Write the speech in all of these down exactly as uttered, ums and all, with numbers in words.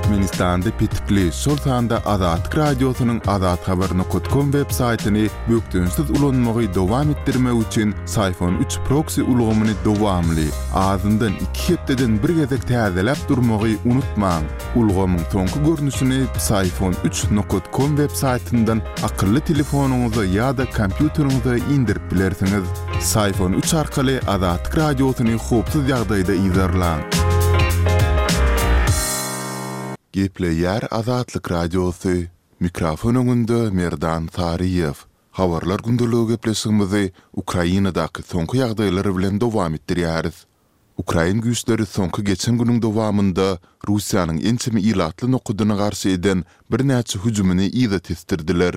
Türkmenistanda petikli, şol sanda Azatlyk Radiosynyň azathabar nokat kom web saýtyny bökdençsiz ulanmagy dowam etdirmek üçin Syfon üç proksi ulgamyny dowamly, azyndan iki hepdeden bir gezek täzeläp durmagy unutmaň. Ulgamyň soňky görnüşini Psiphon üç nokat kom web saýtyndan akylly telefonyňyza ýa-da kompýuteriňize indirip bilersiňiz. Psiphon üç arkaly Azatlyk Radiosyny howpsuz ýagdaýda yzarlaň. Gepleýär Azatlyk Radiosy, Mikrofon öňünde Merdan Saryýew. Habarlar gündeligi gepleşigimizi Ukrainadaky soňky ýagdaýlar bilen dowam etdirýäris. Ukrain güýçleri soňky geçen günüň dowamynda Russiýanyň ençeme ilatly nokadyna garşy eden birnäçe hüjümini yza tesdirdiler.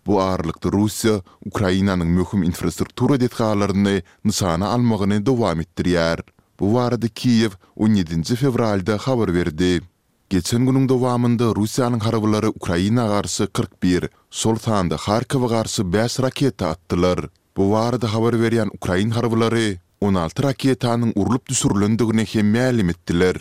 Bu aralykda Russiýa Ukrainanyň möhüm infrastruktura desgalaryny nyşana almagyny dowam etdirýär. Bu barada Kiýew on ýedinji fewralda habar berdi. Geçen günüň dowamynda Russiýanyň harbylary Ukraina garşy kyrk bir, şol sanda Harkowa garşy bäş raketa atdylar. Bu barada habar berýän ukrain harbylary on alty raketanyň urlup düşürilendigini hem mälim etdiler.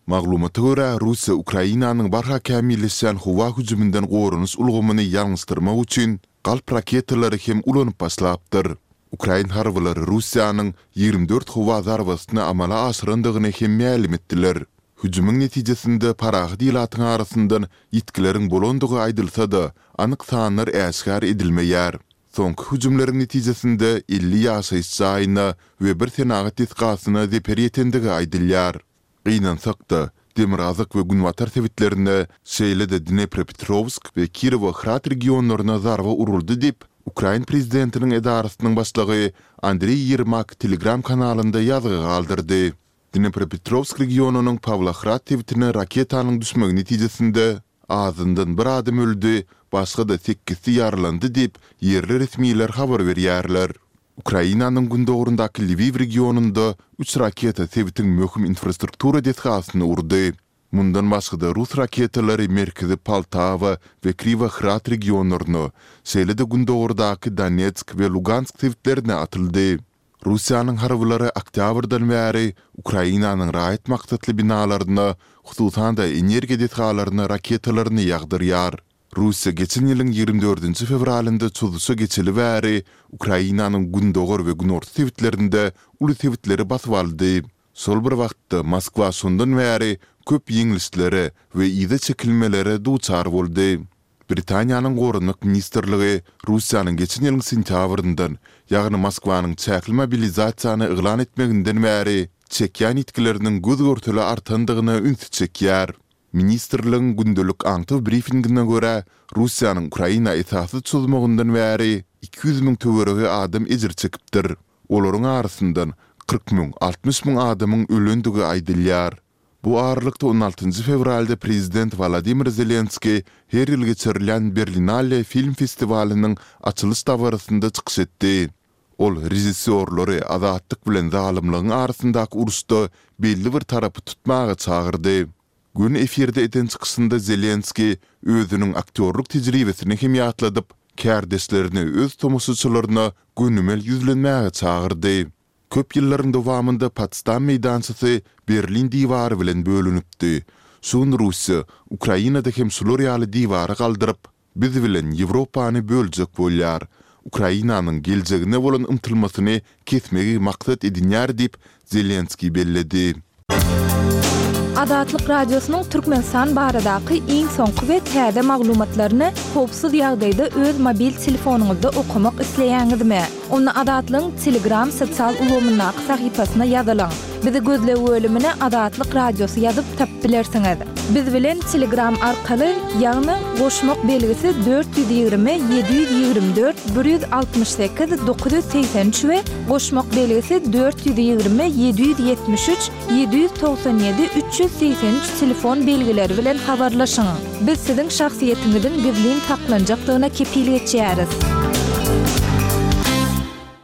Maglumata görä, Russiýa Ukrainanyň barha kämilleşýän howa hüjüminden goranyş ulgamyny ýalňyşdyrmak üçin galp raketalary hem ulanyp başlapdyr. Ukrain harbylary Russiýanyň ýigrimi dört howa zarbasyny amala aşyrandygyny hem mälim etdiler. Hüjümiň netijesinde parahat ilatyň arasyndan ýitgileriň bolandygy aýdylsa-da, anyk sanlar äşgär edilmeýär. Soňky hüjümleriň netijesinde elli ýaşaýyş jaýyna we bir senagat desgasyna zeper ýetendigi aýdylýar. Gynansak-da, demirgazyk we günbatar sebitlerine, şeýle-de Dnepropetrowsk we Kirowohrad regionlaryna zarba uruldy diýip, ukrain prezidentiniň edarasynyň başlygy Andreý Ýermak Telegram kanalynda ýazgy galdyrdy. Dnepropetrowsk regionynyň Pawlohrad sebitine raketanyň düşmegi netijesinde azyndan bir adam öldi, başga-da sekizsi ýaralandy diýip, ýerli resmiler habar berýärler. Ukrainanyň gündogaryndaky Lwiw regionynda üç raketa sebitiň möhüm infrastruktura desgasyny urdy. Mundan başga-da rus raketalary merkezi Poltawa we Kriwohrad regionlaryna, şeýle-de gündogardaky Donetsk we Lugansk sebitlerine atyldy. Russiýanyň harbylary oktýabrdan bäri Ukrainanyň raýat maksatly binalaryna, hususan-da energiýa desgalaryna raketalaryny ýagdyrýar. Russiýa geçen ýylyň ýigrimi dördünji fewralynda çozuşa geçeli bäri Ukrainanyň gündogar we günorta sebitlerinde uly sebitleri basyp aldy. Şol bir wagtda, Moskwa şondan bäri köp ýeňlişlere we yza çekilmelere duçar boldy. Britaniýanyň Goranmak ministrligi Russiýanyň geçen ýylyň sentýabryndan, ýagny Moskwanyň çäkli mobilizasiýany yglan etmeginden bäri çekýän ýitgileriniň göz-görtele artandygyna ünsi çekýär. Ministrligiň gündelik aňtaw brifingine görä, Russiýanyň Ukraina esassyz çozmagyndan bäri iki ýüz müň töweregi adam ejir çekipdir. Olaryň arasyndan kyrk müň, altmyş müň adamyň ölendigi aýdylýar. Bu aralykda on altynjy fewralda prezident Wolodymyr Zelenskiý her ýyl geçirilýän Berlinale film festiwalynyň açylyş dabarasynda çykyş etdi. Ol režissýorlary azatlyk bilen zalymlygyň arasyndaky uruşda belli bir tarapy tutmaga çagyrdy. Göni efirde eden çykyşynda Zelenskiý özüniň aktýorlyk tejribesini hem ýatladyp, kärdeşlerini öz tomaşaçylaryna gönümel ýüzlenmäge çagyrdy. Köp ýyllaryň dowamynda Potsdam meýdançasy Berlin diwary bilen bölünipdi. Şu gün Russiýa Ukrainada hem şular ýaly diwary galdyryp, biz bilen Ýewropany böljek bolýar. Ukrainanyň geljegine bolan ymtylmasyny kesmegi maksat edinýär diýip, Zelenskiý belledi. Azatlyk Radiosynyň Türkmenistan baradaky iň soňky we täze maglumatlaryny howpsuz ýagdaýda öz mobil telefonyňyzda okamak isleýäňizmi? Onda Azatlygyň Telegram sosial ulgamyndaky sahypasyna ýazylyň. Bizi gözleg bölümine Azatlyk Radiosy ýazyp tapyp bilersiňiz. Biz bilen Telegram arkaly, ýagny goşmak belgisi dört ýüz ýigrimi ýedi ýüz ýigrimi dört bir ýüz altmyş sekiz dokuz ýüz segsen üç we goşmak belgisi dört ýüz ýigrimi ýedi ýüz ýetmiş üç ýedi ýüz togsan ýedi üç ýüz segsen üç telefon belgileri bilen habarlaşyň. Biz siziň şahsyýetiňiziň gizlin saklanjakdygyna kepil geçýäris.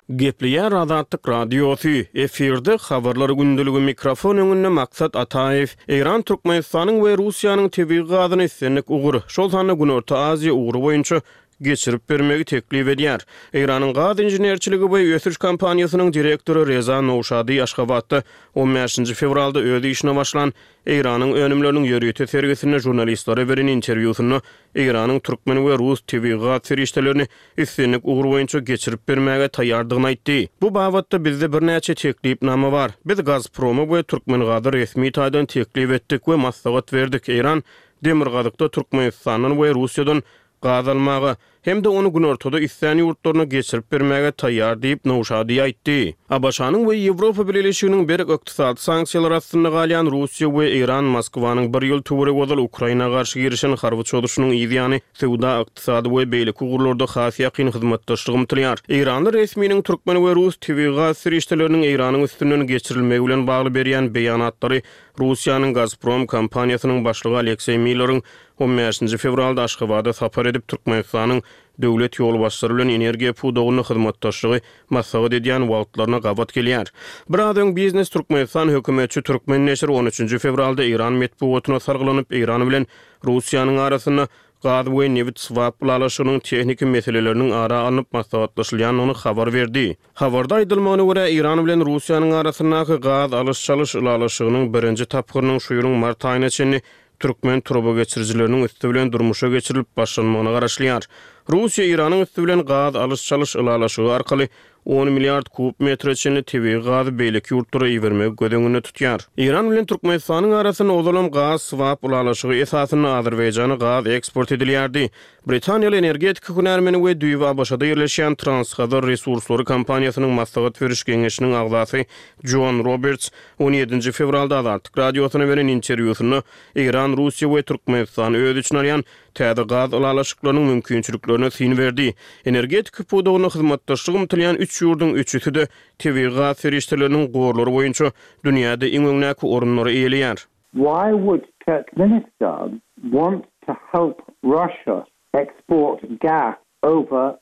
Gepleýär Azatlyk Radiosy, efirde Habarlar gündeligi, mikrofon öňünde Maksat Ataýew. Eýran Türkmenistanyň we Russiýanyň tebigy gazyny islendik ugur, şol sanda Günorta Aziýa ugry boýunça geçirip bermegi teklip edýär. Eýranyň gaz inženerçiligi we ösüş kompaniýasynyň direktory Reza Nowşadi Aşgabatda on bäşinji fewralda öz işine başlan Eýranyň önümleriniň ýörite sergisinde žurnalistlere beren interwýusynda Eýranyň türkmen we rus tebigy gaz serişdelerini islendik ugur boýunça geçirip bermäge taýýardygyny aýtdy. Bu babatda bizde birnäçe teklipnama bar. Biz Gazproma we Türkmengaza resmi taýdan teklip etdik we maslahat berdik. Eýran Demirgazykda Türkmenistandan we Russiýadan gaz almaga hem-de ony günortada islän ýurtlaryna geçirip bermäge taýýar diýip Nowşadi aýtdy. ABŞ-nyň we Ýewropa Bileleşiginiň berk ykdysady sanksiýalar astynda galýan Russiýa we Eýran Moskwanyň bir ýyl töweregi ozal Ukraina garşy girişen harby çozuşynyň yz ýany söwda, ykdysady we beýleki ugurlarda has ýakyn hyzmatdaşlyk ymtylýar. Eýranly resminiň türkmen we rus tebigy gaz serişdeleriniň Eýranyň üstünden geçirilmegi bilen bagly berýän beýanatlary Russiýanyň Gazprom kompaniýasynyň başlygy Alekseý Milleriň on bäşinji fewralda Aşgabada sapar edip Türkmenistanyň döwlet ýolbaşçylary bilen energiýa pudagynda hyzmatdaşlygy maslahat edýän wagtlaryna gabat gelýär. Biraz öň Biznes Türkmenistan hökümetçi Türkmen neşiri on üçünji fewralda Eýran metbugatyna salgylanyp Eýran bilen Russiýanyň arasynda gaz we nebit swap ylalaşygynyň tehniki meseleleriniň ara alnyp maslahatlaşylýandygyny habar berdi. Habarda aýdylmagyna görä Eýran bilen Russiýanyň arasyndaky gaz alyş-çalyş ylalaşygynyň birinji tapgyrynyň şu ýylyň mart aýyna çenli türkmen turba geçirijileriniň üsti bilen durmuşa geçirilip başlanmagyna garaşylýar. Russiýa Eýranyň üsti bilen gaz alyş-çalyş ylalaşygy arkaly on milliard kub metre çenli tebigy gazy beýleki ýurtlara ibermegi göz öňünde tutýar. Eýran bilen Türkmenistanyň arasynda ozalam gaz swap ylalaşygy esasynda Azerbaýjana gaz eksport edilýärdi. Britaniýaly energetika hünärmeni we düýbi ABŞ-da ýerleşýän Transhazar resurslary kompaniýasynyň maslahat beriş geňeşiniň agzasy John Roberts on ýedinji fewralda Azatlyk radiosyna beren interwýusynda Eýran, Russiýa we Türkmenistan öz içine alýan täze gaz ylalaşyklarynyň mümkinçiliklerine syn berdi. Energetika pudagynda hyzmatdaşlyk ymtylýan üç ýurduň üçüsi-de tebigy gaz serişdeleriniň gorlary boýunça dünýäde iň öňdäki orunlary eýeleýär. Why would Turkmenistan want to help Russia export gas over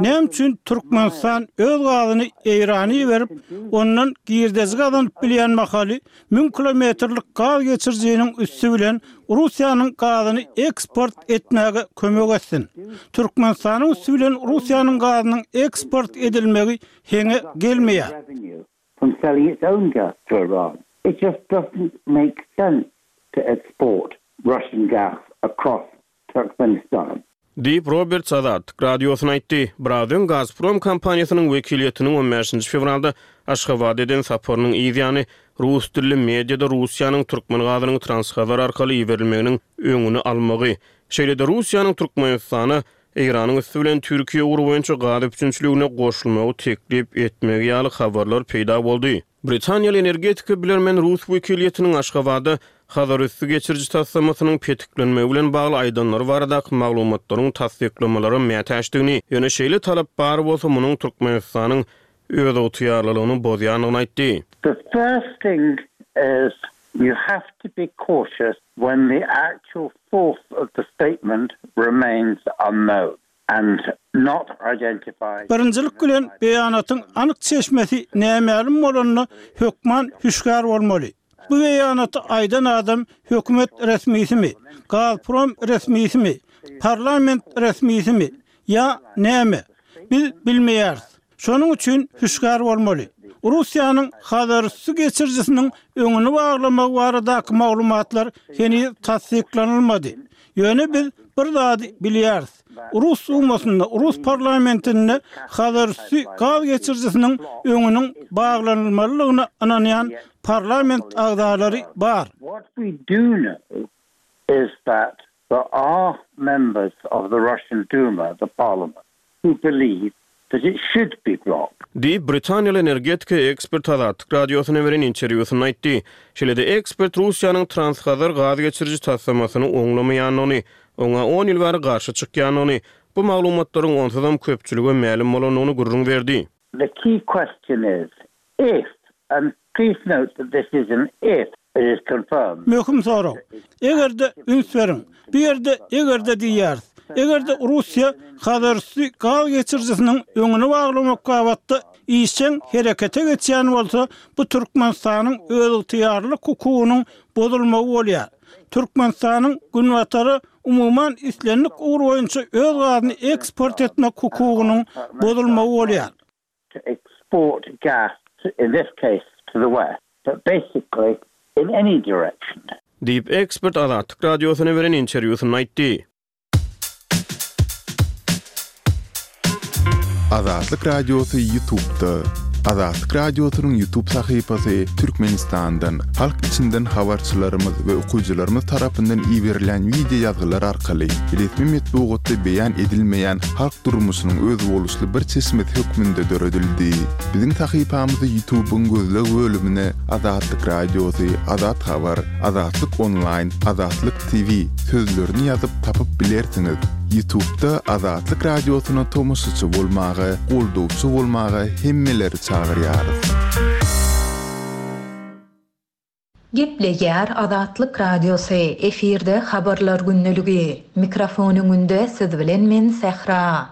Näme üçin Türkmenistan öz gazyny Eýrana iberip, ondan girdejik gazanyp bilýän mahaly müň kilometrlik gaz geçirijiniň üsti bilen Russiýanyň gazyny eksport etmäge kömek etsin. Türkmenistanyň üsti bilen Russiýanyň gazynyň eksport edilmegi heňe gelmeýär. From selling its own gas to Iran. It just doesn't make sense to export Russian gas across Turkmenistan. Diýip Roberts Azatlyk radiosyna aýtdy. Biraz öň Gazprom kompaniýasynyň wekiliýetiniň on bäşinji fewralda Aşgabada eden saparynyň yz ýany rus dilli mediada Russiýanyň türkmen gazynyň Transhazar arkaly iberilmeginiň öňüni almagy, şeýle-de Russiýanyň Türkmenistana Eýranyň üsti bilen Türkiýe ugry boýunça gaz üpjünçiligine goşulmagy teklip etmegi ýaly habarlar peýda boldy. Britaniýaly energetika bilermen rus wekiliýetiniň Aşgabada Hazarüsti geçiriji taslamasynyň petiklenmegi bilen bagly aýdanlary baradaky maglumatlaryň tassyklamalara mätäçdigini, ýöne şeýle talap bar bolsa munuň Türkmenistanyň özygtyýarlylygyny bozýandygyny aýtdy. The first thing is you have to be cautious when the actual source of the statement remains unknown and not identified. Birinjilik bilen beýanatyň anyk çeşmesi nämälim bolanyna hökman hüşgär bolmaly. Bu beýanaty aýdan adam hökümet resmisimi, Gazprom resmisimi, parlament resmisimi ýa näme? Biz bilmeýäris. Şonuň üçin hüşgär bolmaly. Russiýanyň Hazarüsti geçirijisiniň öňüni baglamagy baradaky maglumatlar heniz tassyklanylmady. Ýöne biz bir zady bilýäris. Rus Dumasynda, Rus parlamentinde Hazarüsti gaz geçirijisiniň öňüniň baglanylmalydygyna ynanýan parlament agzalary bar. What we do know is that there are members of the Russian Duma, the parliament, who believe that it should be blocked. Diýip, Britaniýaly energetika ekspert Azatlyk radiosyna beren interwýusynda aýtdy. Şeýle-de ekspert Russiýanyň Transhazar gaz geçiriji taslamasyny oňlamaýandygyny, oňa on ýyl bäri garşy çykýandygyny, bu maglumatlaryň onsuzam köpçülige mälim bolandygyny gürrüň berdi. The key question is if, and please note that this is an if, it is confirmed. Möhüm sorag. Eger-de üns beriň, bu ýerde eger-de diýýäris. Eger-de Russiýa Hazarüsti gaz geçirijisiniň öňüni baglamak babatda işjeň herekete geçýän bolsa, bu Türkmenistanyň özygtyýarlyk hukugynyň bozulmagy bolýar. Türkmenistanyň Günbatara umuman islendik ugur boýunça öz gazyny eksport etmek hukugynyň bozulmagy bolýar. to export gas, in this case to the west, but basically in any direction. Diýip, ekspert Azatlyk Radiosyna beren interwýusynda aýtdy. Azatlyk Radiosy Ýutubda. Azatlyk Radiosynyň Ýutub sahypasy Türkmenistandan, halk içinden habarçylarymyz we okyjylarymyz tarapyndan iberilýän wideo ýazgylar arkaly resmi metbugatda beýan edilmeýän halk durmuşynyň özboluşly bir çeşmesi hökmünde döredildi. Biziň sahypamyzy Ýutubyň gözleg bölümine Azatlyk Radiosy, Azat Habar, Azatlyk Onlaýn, Azatlyk TV sözlerini ýazyp tapyp bilersiňiz. Ýutubda Azatlyk Radiosyna tomaşaçy bolmaga, goldawçy bolmaga hemmeleri çagyrýarys. Gepleýär Azatlyk Radiosy, efirde Habarlar gündeligi. Mikrofon öňünde siz bilen men Sähra.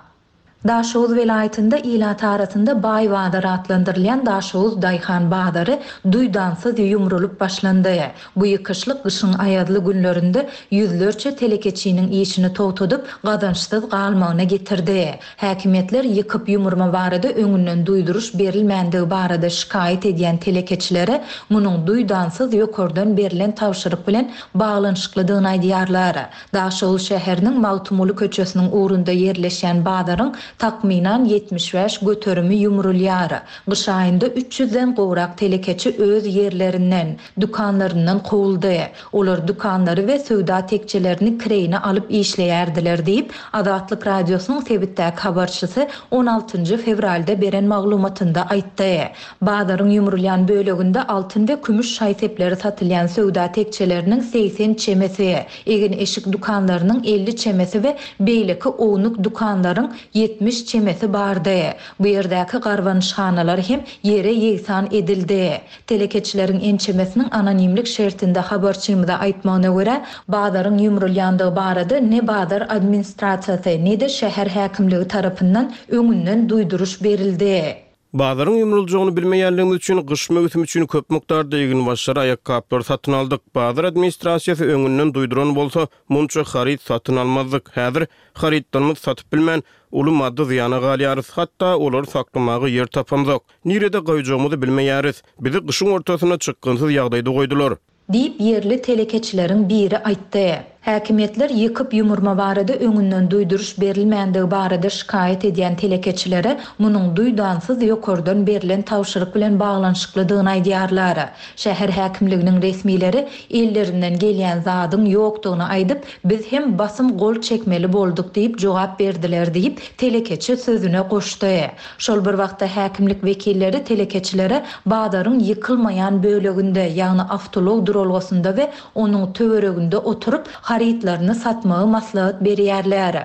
Daşoguz welaýatynda ilat arasynda Baý bazar atlandyrylýan Daşoguz daýhan bazary duýdansyz ýumrulyp başlandy. Bu ýykyşlyk gyşyň aýazly günlerinde ýüzlerçe telekeçiniň işini togtadyp, gazançsyz galmagyna getirdi. Häkimiýetler ýykyp-ýumurma barada öňünden duýduryş berilmändigi barada şikaýat edýän telekeçilere munuň duýdansyz ýokardan berlen tabşyryk bilen baglanyşyklydygyny aýdýarlar. Daşoguz şäheriniň Magtymguly köçesiniň ugrunda ýerleşýän bazaryň takmynan ýetmiş bäş göterimi ýumrulýar. Gyş aýynda üç ýüzden gowrak telekeçi öz ýerlerinden, dükanlaryndan kowuldy. Olar dükanlary we söwda tekjelerini kireýine alyp işleýärdiler diýip, Azatlyk Radiosynyň sebitdäki habarçysy on altynjy fewralda beren maglumatynda aýtdy. Bazaryň ýumrulýan böleginde altyn we kümüş şaý-sepleri satylýan söwda tekjeleriniň segsen çemesi, egin-eşik dükanlarynyň elli çemesi we beýleki ownuk dükanlaryň ýetmiş çemesi bardy. Bu ýerdäki garbanyşhanalar hem ýere ýegsan edildi. Telekeçileriň ençemesiniň anonimlik şertinde habarçymyza aýtmagyna görä, bazaryň ýumrulýandygy barada ne bazar administrasiýasy, ne-de şäher häkimligi tarapyndan öňünden duýduryş berildi. Bazaryň ýumruljagyny bilmeýänligimiz üçin gyş möwsümi üçin köp mukdarda eginbaşlary, aýakgaplary satyn aldyk. Bazar administrasiýasy öňünden duýduran bolsa, munça haryt satyn almazdyk. Häzir harytlarymyzy satyp bilmän, uly maddy zyýana galýarys. Hatda olary saklamaga ýer tapamzok. Nirede goýjagymyzy bilmeýäris. Bizi gyşyň ortasynda çykgynsyz ýagdaýda goýdular. Diýip, ýerli telekeçileriň biri aýtdy. Häkimiýetler ýykyp-ýumurma barada öňünden duýduryş berilmändigi barada şikaýat edýän telekeçilere munuň duýdansyz ýokardan berlen tabşyryk bilen baglanyşyklydygyny aýdýarlar. Şäher häkimliginiň resmileri ellerinden gelýän zadyň ýokdugyny aýdyp, biz hem basym gol çekmeli bolduk diýip jogap berdiler diýip, telekeçi sözüne goşdy. Şol bir wagtda häkimlik wekilleri telekeçilere bazaryň ýykylmaýan böleginde, ýagny awtoulag duralgasynda we onuň töwereginde oturyp, harytlaryny satmagy maslahat berýärler.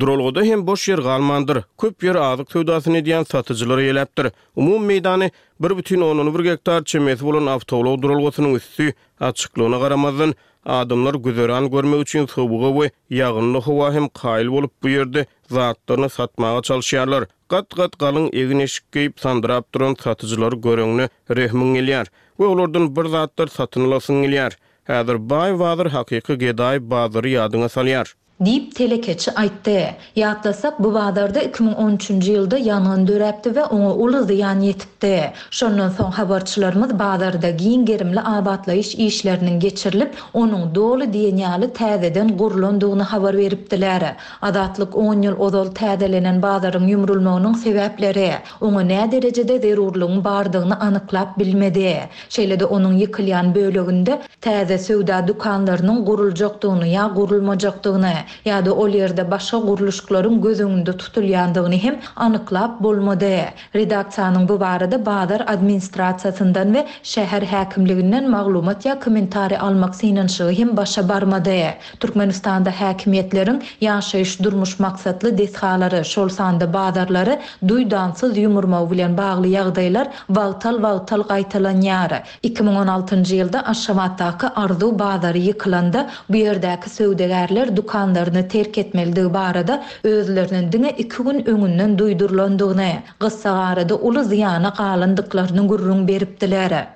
Duralgada hem boş ýer galmandyr. Köp ýer azyk söwdasyny edýän satyjylar eýeläpdir. Umumy meýdany bir bütin ondan bir gektar çemesi bolan awtoulag duralgasynyň üsti açyklygyna garamazdan, adamlar güzeran görmek üçin sowuga we ýagynly howa hem kaýyl bolup, bu ýerde zatlaryny satmaga çalyşýarlar. Gat-gat galyň egin-eşik geýip sandyrap duran satyjylary göreňde rehmiň gelýär we olardan bir zatlar satyn alasyň gelýär. Häzir baý bazar hakyky gedaý bazary ýadyňa salýar. Diýip, telekeçi aýtdy. Ýatlasak, bu bazarda iki müň on üçünji ýylda ýangyn döräpdi we oňa uly zyýan ýetipdi. Şondan soň habarçylarymyz bazarda giň gerimli abatlaýyş işleriniň geçirilip, onuň doly diýen ýaly täzeden gurlandygyny habar beripdiler. Azatlyk on ýyl ozal täzelenen bazaryň ýumrulmagynyň sebäpleri, oňa nä derejede zerurlygyň bardygyny anyklap bilmedi. Şeýle-de onuň ýykylýan böleginde täze söwda dükanlarynyň guruljakdygyny ýa gurulmajakdygyny, ýa-da ol ýerde başga gurluşyklaryň göz öňünde tutulýandygyny hem anyklap bolmady. Redaksiýanyň bu barada bazar administrasiýasyndan we şäher häkimliginden maglumat ýa kommentariý almak synanyşygy hem başa barmady. Türkmenistanda häkimiýetleriň ýaşaýyş durmuş maksatly desgalary, şol sanda bazarlary duýdansyz ýumurmagy bilen bagly ýagdaýlar wagtal-wagtal gaýtalanýar. Iki müň on altynjy ýylda Aşgabatdaky Arzuw bazary ýykylanda bu ýerdäki söwdagärler dükanlaryny terk etmelidigi barada özleriniň diňe iki gün öňünden duýdurylandygyny, gyssagarada uly zyýana galandyklaryny gürrüň beripdiler.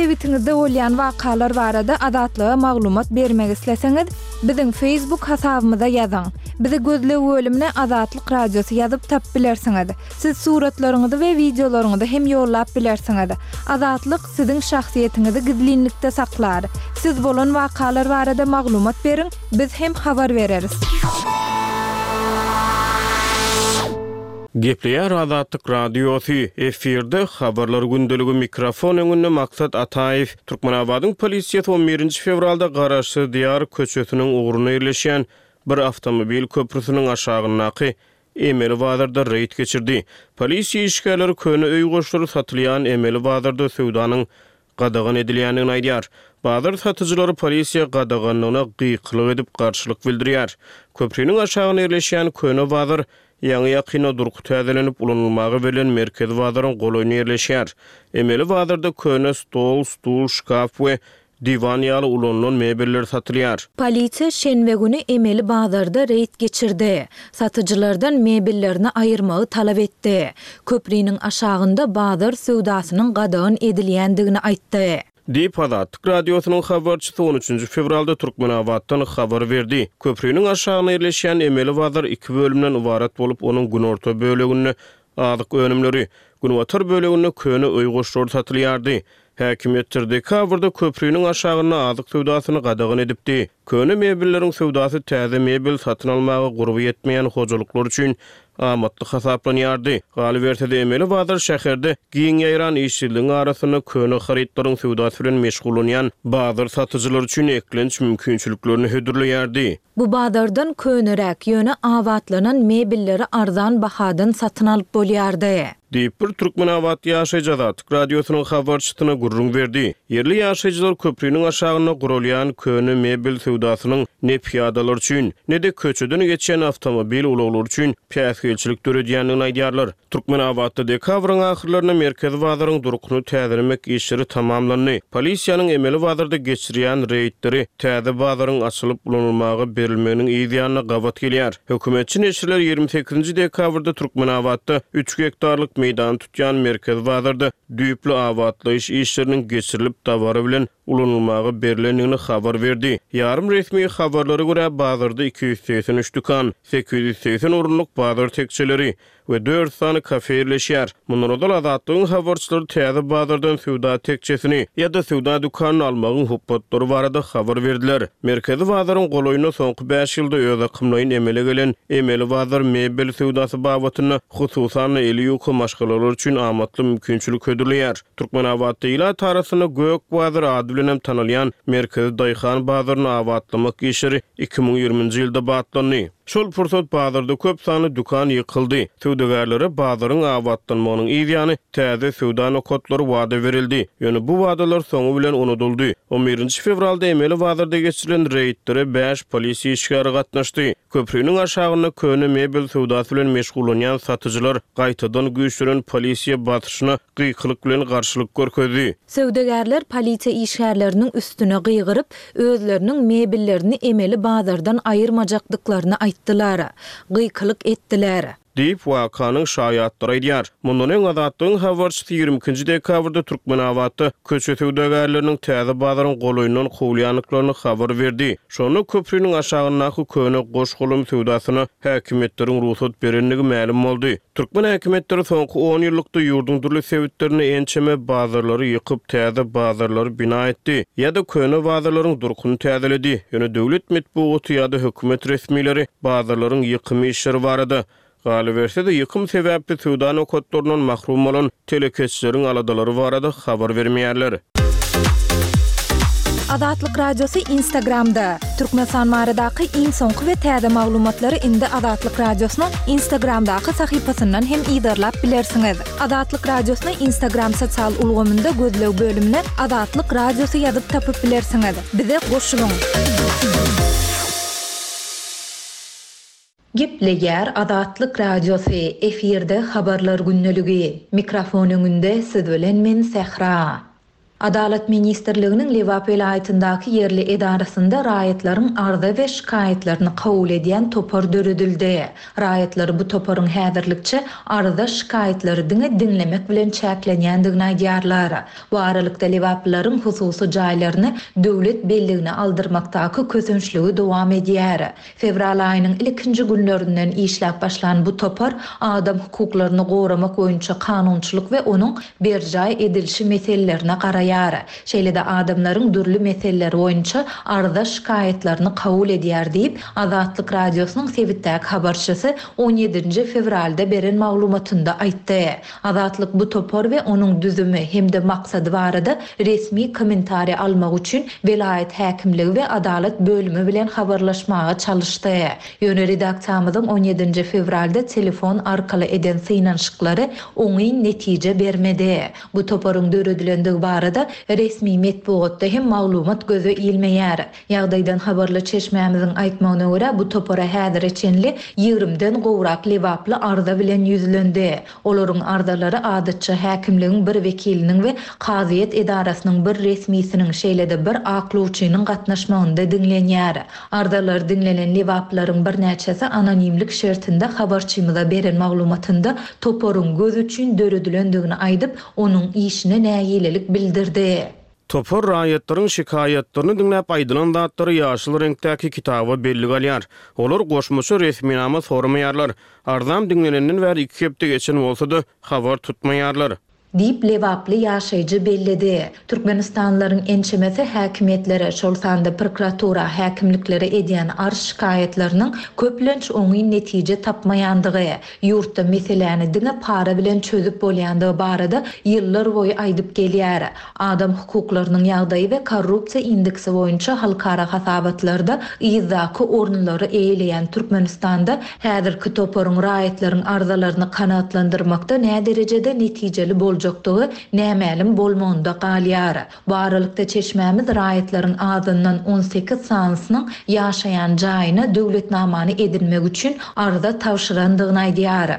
sebitiňizde bolýan wakalar barada Azatlyga maglumat bermek isleseňiz, biziň Facebook hasabymyza ýazyň. Bizi gözleg bölümine Azatlyk Radiosy ýazyp tapyp bilersiňiz. Siz suratlaryňyzy we wideolaryňyzy hem ýollap bilersiňiz. Azatlyk siziň şahsyýetiňizi gizlinlikde saklar. Siz bolan wakalar barada maglumat beriň, biz hem habar bereris. Gepleýär Azatlyk Radiosy, efirde Habarlar gündeligi mikrofon öňünde Maksat Ataýew. Türkmenabadyň polisiýasy on birinji fewralda Garaşsyz Diýar köçesiniň ugrunda ýerleşýän bir awtomobil köprüsiniň aşagyndaky emeli bazarda reýd geçirdi. Polisiýa işgärleri köne öý goşlary satylýan emeli bazarda söwdanyň gadagan edilýändigini aýdýar. Bazar satyjylary polisiýa gadaganlygyna gykylyk edip garşylyk bildirýär. Köprüniň aşagynda ýerleşýän köne bazar ýaňy ýakynda durky täzelenip ulanylmaga berlen merkezi bazaryň golaýynda ýerleşýär. Emeli bazarda köne stol, stul, şkaf we diwan ýaly ulanylan mebeller satylýar. Polisiýa şenbe güni emeli bazarda reýd geçirdi. Satyjylardan mebellerini aýyrmagy talap etdi. Köprüniň aşagynda bazar söwdasynyň gadagan edilýändigini aýtdy. Diýip Azatlyk Radiosynyň habarçysy on üçünji fewralda Türkmenabatdan habar berdi. Köprüniň aşagynda ýerleşýän emeli bazar iki bölümden ybarat bolup, onuň günorta böleginde azyk önümleri, günbatar böleginde köne öý goşlary satylýardy. Häkimiýetler dekabrda köprüniň aşagynda azyk söwdasyny gadagan edipdi. Köne mebelleriň söwdasy täze mebel satyn almaga gurby ýetmeýän hojalyklar üçin amatly hasaplanýardy. Galyberse-de emeli bazar şäherde giň ýaýran işsizligiň arasynda köne harytlaryň söwdasy bilen meşgullanýan bazar satyjylar üçin eklenç mümkinçiliklerini hödürleýärdi. Bu bazardan köneräk, ýöne abatlanan mebelleri arzan bahadan satyn alyp bolýardy. Diýip bir Türkmenabat ýaşaýjy Azatlyk Radiosynyň habarçysyna gürrüň berdi. Ýerli ýaşaýjylar köprüniň aşagynda gurulýan köne mebel söwdasynyň ne piýadalar üçin, ne-de köçeden geçýän awtomobil ulaglary üçin päsgelçilik döredýändigini aýdýarlar. Türkmenabatda dekabryň ahyrlarynda merkezi bazaryň durkuny täzelemek işleri tamamlandy. Polisiýanyň emeli bazarda geçirýän reýdleri täze bazaryň açylyp ulanylmaga berilmeginiň yz ýanyna gabat gelýär. Hökümetçi neşirler ýigrimi sekizinji dekabrda Türkmenabatda üç gektarlyk meýdany tutýan merkezi bazarda düýpli abatlaýyş işleriniň geçirilip dabara bilen ulanylmaga berilendigini habar berdi. Ýarym resmi habarlara görä bazarda iki ýüz segsen üç dükan, sekiz ýüz segsen orunlyk bazar tekçeleri we dört sany kafe ýerleşýär. Mundan ozal Azatlygyň habarçylary täze bazardan söwda tekçesini ýa-da söwda dükanyny almagyň hukukları barada habar berdiler. Merkezi bazaryň golaýynda soňky bäş ýylda öz akymlaýyn emele gelen emeli bazar mebel söwdasy babatynda hususan eli ýuka maşgalalar üçin amatly mümkinçilik hödürleýär. Türkmenabatda ilat arasynda Gök bazar ady bilen hem tanalýan merkezi daýhan bazaryny abatlamak işleri iki müň ýigriminji ýylda batlandy. Şol pursat bazarda köp sanly dükan ýykyldy. Söwdagärlere bazaryň abatlanmagynyň yz ýany täze söwda nokatlary wada berildi. Ýöne bu wadalar soňy bilen unudyldy. on birinji fewralda emeli bazarda geçirilen reýdlere bäş polisiýa işgäri gatnaşdy. Köprüniň aşagynda köne mebel söwdasy bilen meşgullanýan satyjylar gaýtadan güýçlenen polisiýa basyşyna gykylyk bilen garşylyk görkezdi. Söwdagärler polisiýa işgärleriniň üstüne gygyryp, özleriniň mebellerini emeli bazardan aýyrmajakdyklaryny aýtdylar. Gykylyk etdiler. Diýip wakanyň şaýatlary aýdýar. Mundan öň Azatlygyň habarçysy ýigrimi ikinji dekabrda Türkmenabatda köçe söwdagärleriniň täze bazaryň golaýyndan kowulýandyklaryny habar berdi. Şonda köprüniň aşagyndaky köne goş-golum söwdasyna häkimiýetleriň rugsat berendigi mälim boldy. Türkmen häkimiýetleri soňky on ýyllykda ýurduň dürli sebitlerinde ençeme bazarlary ýykyp, täze bazarlary bina etdi ýa-da köne bazarlaryň durkuny täzeledi. Ýöne döwlet metbugaty ýa-da hökümet resmileri bazarlaryň ýykymy işleri barada galyberse-de ýykym sebäpli söwda nokatlaryndan mahrum bolan telekeçileriň aladalary barada habar bermeýärler. Azatlyk Radiosy Instagramda. Türkmenistan baradaky iň soňky we täze maglumatlary indi Azatlyk Radiosynyň Instagramdaky sahypasyndan hem yzarlap bilersiňiz. Azatlyk Radiosyny Instagram sosial ulgamynda gözleg bölümine Azatlyk Radiosy ýazyp tapyp bilersiňiz. Bize goşulyň. Gepleýär Azatlyk Radiosy, efirde habarlar gündeligi. Mikrofon öňünde siz bilen men Sähra. Adalat ministrliginiň Lebap welaýatyndaky ýerli edarasynda raýatlaryň arza we şikaýatlaryny kabul edýän topar döredildi. Raýatlar bu toparyň häzirlikçe arza-şikaýatlary diňe diňlemek bilen çäklenýändigini aýdýarlar. Bu aralykda lebaplylaryň hususy jaýlaryny döwlet belligine aldyrmakdaky kösençligi dowam edýär. Fewral aýynyň ilkinji günlerinden işläp başlan bu topar adam hukuklaryny goramak boýunça kanunçylyk we onuň berjaý edilişi meselelerine garaýar. Şeýle-de adamlaryň dürli meseleler boýunça arza-şikaýatlaryny kabul edýär diýip, Azatlyk Radiosynyň sebitdäki habarçysy on ýedinji fewralda beren maglumatynda aýtdy. Azatlyk bu topar we onuň düzümi hem-de maksady barada resmi kommentariý almak üçin welaýat häkimligi we adalat bölümi bilen habarlaşmaga çalyşdy. Ýöne redaksiýamyzyň on ýedinji fewralda telefon arkaly eden synanyşyklary oňyn netije bermedi. Bu toparyň döredilendigi barada resmi metbugatda hem maglumat göze ilmeýär. Ýagdaýdan habarly çeşmämiziň aýtmagyna görä, bu topara häzire çenli ýigrimden gowrak lebaply arza bilen ýüzlendi. Olaryň arzalary adatça häkimligiň bir wekiliniň we kazyýet edarasynyň bir resmisiniň, şeýle-de bir aklawçynyň gatnaşmagynda diňlenýär. Arzalar diňlenen lebaplaryň birnäçesi anonimlik şertinde habarçymyza beren maglumatynda toparyň göz üçin döredilendigini aýdyp, onuň işine nägilelik bildirdi. Topar raýatlaryň şikaýatlaryny diňläp aýdylan zatlary ýaşyl reňkdäki kitaba bellik alýar. Olar goşmaça resminama soramaýarlar. Arzam diňlenenden bäri iki hepde geçen bolsa-da habar tutmaýarlar. Diýip lebaply ýaşaýjy belledi. Türkmenistanlylaryň ençemesi häkimiýetlere, şol sanda prokuratura häkimliklere edýän arz şikaýatlarynyň köplenç oňyn netije tapmaýandygy, ýurtda meseläni diňe para bilen çözüp bolýandygy barada ýyllar boýy aýdyp gelýär. Adam hukuklarynyň ýagdaýy we korrupsiýa indeksi boýunça halkara hasabatlarda yzdaky orunlary eýeleýän Türkmenistanda häzirki toparyň raýatlaryň arzalaryny kanaatlandyrmakda näderejede netijeli boljakdygy nämälim bolmagynda galýar. Bu aralykda çeşmämiz raýatlaryň azyndan on sekiz sanysynyň ýaşaýan jaýyna döwletnamany edinmek üçin arza tabşyrandygyny aýdýar.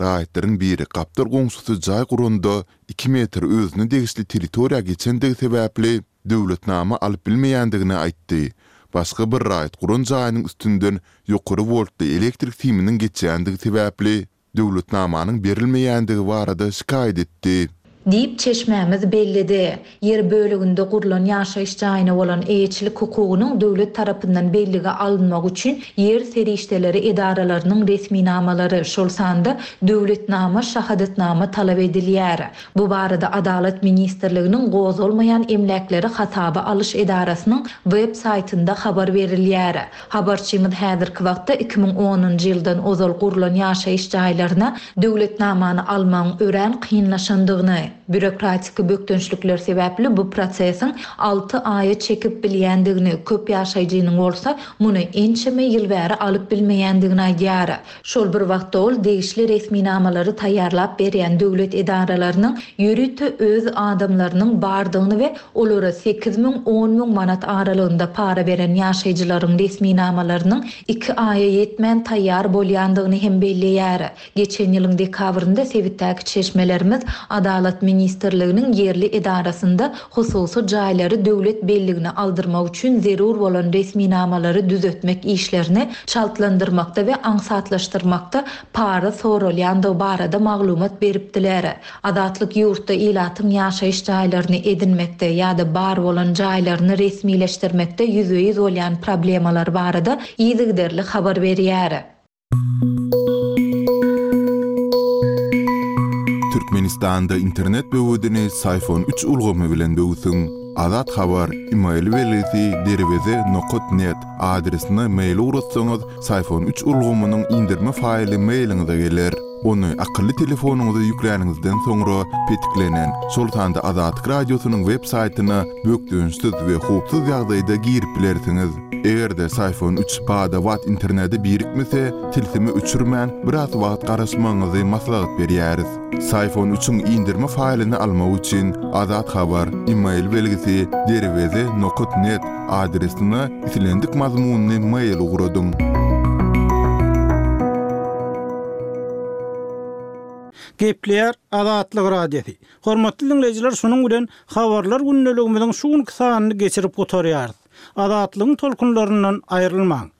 Raýatlaryň biri gapdal goňşusy jaý guranda iki metr özüne degişli territoriýa geçendigi sebäpli döwletnama alyp bilmeýändigini aýtdy. Başga bir raýat guran jaýynyň üstünden ýokary woltly elektrik siminiň geçýändigi sebäpli döwletnamanyň berilmeýändigi barada şikaýat etdi. Diýip çeşmämiz belledi. Ýer böleginde gurlan ýaşaýyş jaýyna bolan eýeçilik hukugynyň döwlet tarapyndan bellige alynmagy üçin ýer serişdeleri edaralarynyň resminamalary, şol sanda döwletnama, şahadatnama talap edilýär. Bu barada Adalat ministrliginiň gozgalmaýan emläkleri hasaba alyş edarasynyň web saýtynda habar berilýär. Habarçymyz häzirki wagtda iki müň onunjy ýyldan ozal gurlan ýaşaýyş jaýlaryna döwletnamany almagyň örän kynlaşandygyny, bürokratiki bökdençlikler sebäpli bu prosesiň alty aýa çekip bilýändigini, köp ýaşaýjynyň bolsa muny ençeme ýyl bäri alyp bilmeýändigini aýdýar. Şol bir wagtda ol degişli resminamalary taýýarlap berýän döwlet edaralarynyň ýörite öz adamlarynyň bardygyny we olara sekiz müň on müň manat aralygynda para beren ýaşaýjylaryň resminamalarynyň iki aýa ýetmän taýýar bolýandygyny hem belleýär. Geçen ýylyň dekabrynda sebitdäki çeşmelerimiz Adalat ministrliginiň ýerli edarasynda hususy jaýlary döwlet belligine aldyrmak üçin zerur bolan resminamalary düzetmek işlerini çaltlandyrmakda we aňsatlaşdyrmakda para soralýandygy barada maglumat beripdiler. Azatlyk ýurtda ilatyň ýaşaýyş jaýlaryny edinmekde ýa-da bar bolan jaýlaryny resmileşdirmekde ýüzbe-ýüz bolýan problemalar barada yzygiderli habar berýär. Türkmenistanda internet böwedini Syfon üç ulgamy bilen böwsüň. Azat Habar, e-mail belgisi derweze nokat net adresine mail ugratsaňyz, Syfon üç ulgamynyň indirme faýly mailiňize geler. Ony akylly telefonyňyza ýükläniňizden soňra petiklenen, şol sanda Azatlyk radiosynyň web saýtyna bökdençsiz we howpsuz ýagdaýda girip bilersiňiz. Eger-de Syfon üç bada-bat internete birikmese, tilsimi öçürmän biraz wagt garaşmagyňyzy maslahat berýäris. Syfon üçiň indirme faýlyny almak üçin Azat Habar, e-mail belgisi derweze nokat net adresine islendik mazmunyny mail ugradyň. Gepleýär Azatlyk Radiosy. Hormatly diňleýjiler, şunuň bilen Habarlar gündeligimiziň şu günki sanyny geçirip gutarýarys. Azatlygyň tolkunlaryndan aýrylmaň.